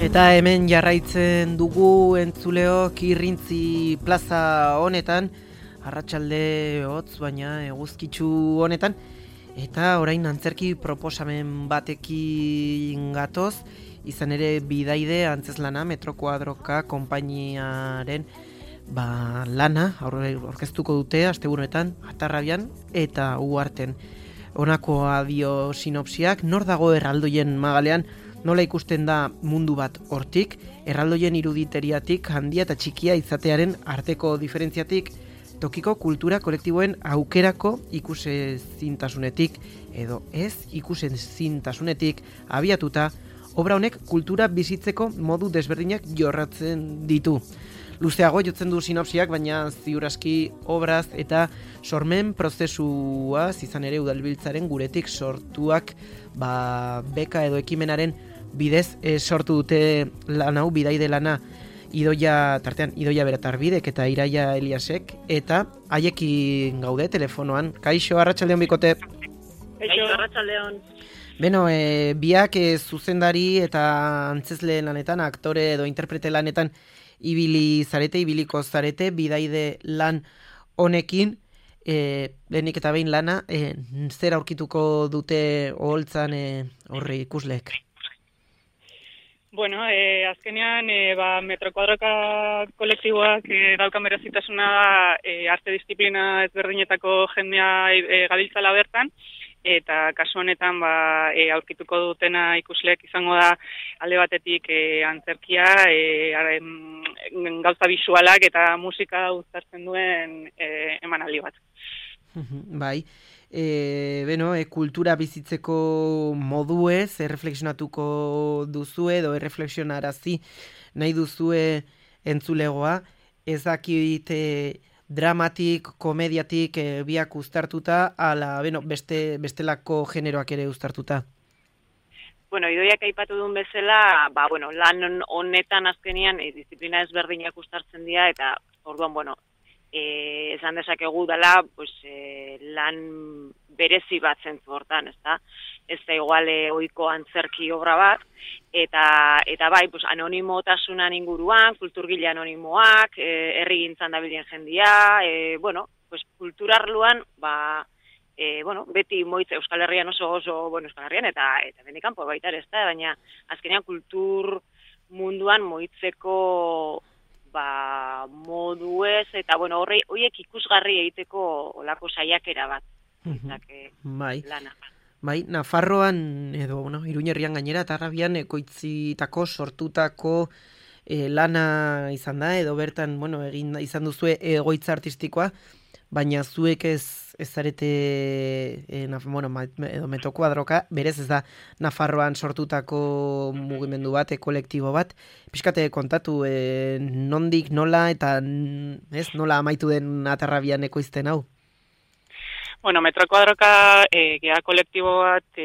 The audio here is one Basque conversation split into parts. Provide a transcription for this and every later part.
Eta hemen jarraitzen dugu entzuleok Irrintzi plaza honetan, arratsalde hotz baina eguzkitsu honetan, eta orain antzerki proposamen batekin gatoz, izan ere Bidaide Antzeslana Metro Kuadroka konpainiaren lana aurkeztuko dute asteburuetan Atarrabian eta Uharten. Honakoa dio sinopsiak, nor dago erraldoien magalean, nola ikusten da mundu bat hortik, erraldoien iruditeriatik handia eta txikia izatearen arteko diferentziatik, tokiko kultura kolektiboen aukerako ikusezintasunetik edo ez ikusezintasunetik abiatuta, obra honek kultura bizitzeko modu desberdinak jorratzen ditu. Luzeago jotzen du sinopsiak, baina ziuraski obraz eta sormen prozesua izan ere udalbiltzaren guretik sortuak beka edo ekimenaren bidez sortu dute lan hau, Bidaide lana, tartean Idoia Beratarbidek eta Iraia Eliasek, eta haiekin gaude telefonoan. Kaixo, arratsaldeon bikote. Kaixo, arratsaldeon. Beno, biak zuzendari eta antzesle lanetan, aktore edo interprete lanetan ibiliko zarete, Bidaide lan honekin, lehenik eta behin lana, zer aurkituko dute oholtzan horri ikusleek? Bueno, azkenean, Metro Kuadroka kolektiboak daukan berezitasuna arte disiplina ezberdinetako jendea gabiltzala bertan, eta kasu honetan aurkituko dutena ikusleek izango da alde batetik antzerkia, gauza bisualak eta musika uztartzen duen emanaldi bat. Bai. Kultura bizitzeko moduez erreflexionatuko duzue edo erreflexionarazi nahi duzue entzulegoa, ez dakit dramatik, komediatik biak uztartuta, ala bestelako generoak ere uztartuta. Bueno, Idoiak aipatu duen bezala, lan honetan azkenian disiplina ezberdinak uztartzen dira, eta orduan, esan dezakegu dela, lan berezi bat zentzu hortan, ezta? Ez da igual ohiko antzerki obra bat, eta bai, anonimotasunan inguruan, kulturgile anonimoak, herrigintzan dabilen jendia, kultura arloan, beti moitze Euskal Herrian oso Euskal Herrian, eta bendikanpo baita ere, ezta? Baina azkenean kultur munduan moitzeko moduez, eta horiek ikusgarri egiteko olako saiakera bat. Lana. Bai, Nafarroan edo Iruñerrian gainera Atarrabian ekoitzitako sortutako lana izan da, edo bertan egin izan duzue egoitza artistikoa, baina zuek ez zarete edo Metro Kuadroka, berez ez da Nafarroan sortutako mugimendu bat, kolektibo bat. Pixkate kontatu nondik, nola eta nola amaitu den Atarrabian ekoizten hau? Bueno, Metro Kuadroka gea kolektibo bat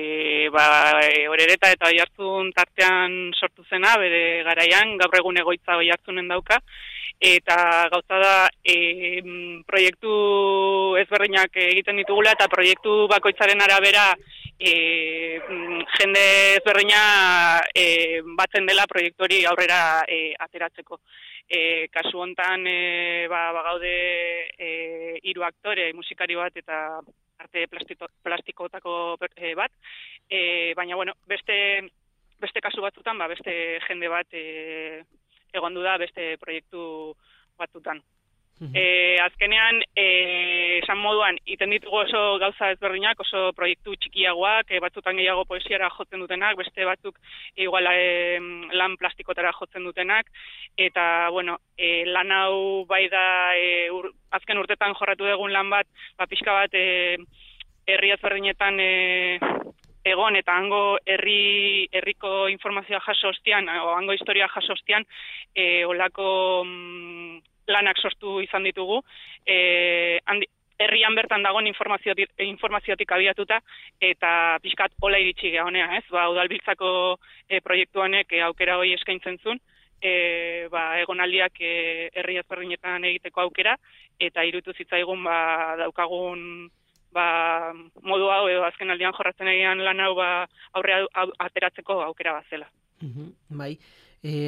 Orereta eta Oiartzun tartean sortu zena, bere garaian, gaur egun egoitza Oiartzunen dauka, eta gauza da proiektu ezberdinak egiten ditugula, eta proiektu bakoitzaren arabera jende ezberdina batzen dela proiektu hori aurrera ateratzeko. Kasu hontan gaude 3 aktore, musikari bat eta arte plastikotako bat, baina beste kasu batzutan beste jende bat egondu da beste proiektu batzutan. Azkenean, esan moduan, iten ditugu oso gauza ezberdinak, oso proiektu txikiagoak, batzutan gehiago poesiara jotzen dutenak, beste batzuk igual lan plastikotara jotzen dutenak, eta, lan hau bai da azken urtetan jorratu dugun lan bat, pixka bat herri ezberdinetan egon eta hango herriko informazioa jaso ostean, o hango historia jaso ostean, olako lanak sortu izan ditugu, herrian bertan dagoen informaziotik abiatuta, eta pixkat hola iritsi gehonea, ez? Udalbiltzako proiektu honek aukera hori eskaintzen zuen, egonaldiak herri ezberdinetan egiteko aukera, eta iruditu zitzaigun daukagun modu hau edo azken aldian jorratzen egian lan hau aurrea ateratzeko aukera bat zela. Bai,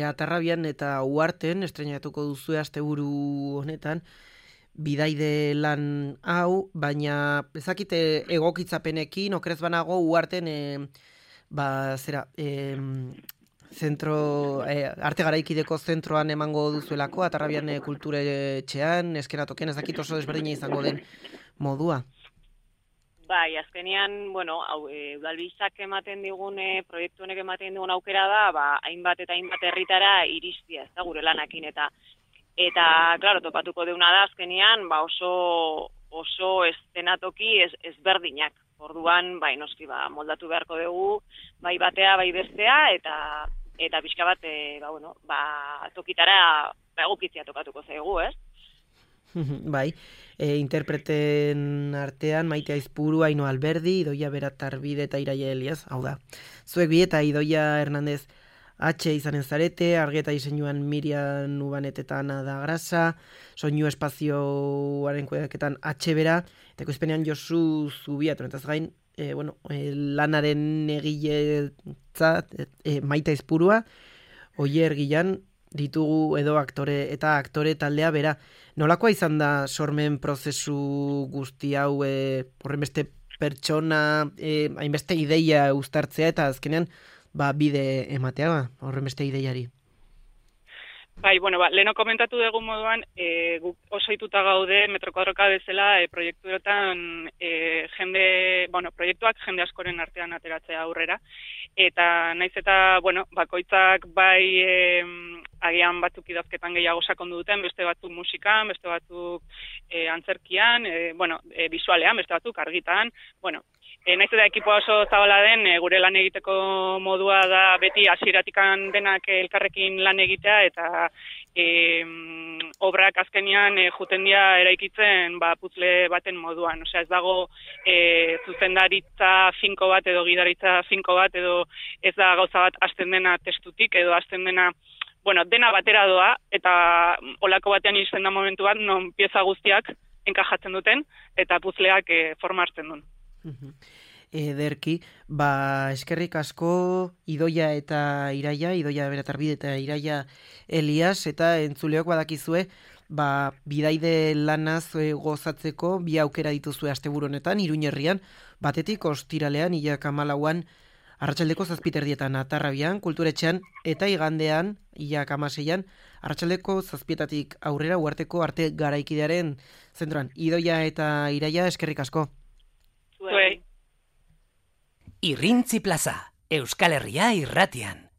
Atarrabian eta Uharten estreinatuko duzue asteburu honetan, bidaide lan hau, baina ezakite egokitzapenekin, okrez banago Uharten zentro, arte garaikideko zentroan emango duzuelako, Atarrabian kulturetxean, eskenatoken, ezakit oso desberdina izango den modua. Bai, azkenean, udalbizak ematen digun, proiektu honek ematen digun aukera da, hainbat eta hainbat herritara iristia, ez da, gure lanakin, eta claro, topatuko deuna da, azkenean, oso estenatoki ezberdinak. Orduan, noski, moldatu beharko dugu, bai batea, bai bestea, eta pixka bat, tokitara egokitzea tokatuko zaigu, ez? Bai, interpreten artean Maite Aizpuru, Aino Alberdi, Idoia Beratarbide eta Iraia Elias, hau da. Zuek bi eta Idoia Hernandez H izanen zarete, argeta diseinuan Miriam Ubanet eta Ana da Grasa, soinu espazioaren kudeaketan H bera, eta ekoizpenean Josu Zubiatu, eta gain, lanaren egiletzat Maite Aizpurua, Oier Gilan, ditugu edo aktore taldea bera. Nolakoa izan da sormen prozesu guzti hau, horrenbeste pertsona, hainbeste ideia uztartzea eta azkenean bide ematea horrenbeste ideiari? Bai, leheno komentatu dugu moduan, guk oso ituta gaude metro kuadroka bezala proiektuetan proiektuak jende askoren artean ateratzea aurrera. Eta naiz eta, bakoitzak bai agian batzuk idazketan gehiago sakondu duten, beste batzuk musikan, beste batzuk antzerkian, bisualean, beste batzuk argitan, naiz eta ekipoa oso zabala den, gure lan egiteko modua da beti hasieratikan denak elkarrekin lan egitea, eta obrak azkenian juten dira eraikitzen puzzle baten moduan. Osea, ez dago zuzendaritza finko bat edo gidaritza finko bat, edo ez da gauza bat hasten dena testutik, edo hasten dena dena batera doa, eta olako batean iristen da momentu bat, non pieza guztiak enkajatzen duten, eta puzzleak forma hartzen duen. Ederki, eskerrik asko Idoia eta Iraia, Idoia Beratarbide eta Iraia Elias, eta entzuleok badakizue, bidaide lanaz gozatzeko bi aukera dituzue asteburu honetan, Iruñerrian, batetik ostiralean, ilak 14an, arratsaldeko 7:00 Atarrabian, kulturetxean, eta igandean, ilak 16an, arratsaldeko 7:00 aurrera Uharteko arte garaikidearen zentroan. Idoia eta Iraia, eskerrik asko. Zuei. Irrintzi Plaza, Euskal Herria irratian.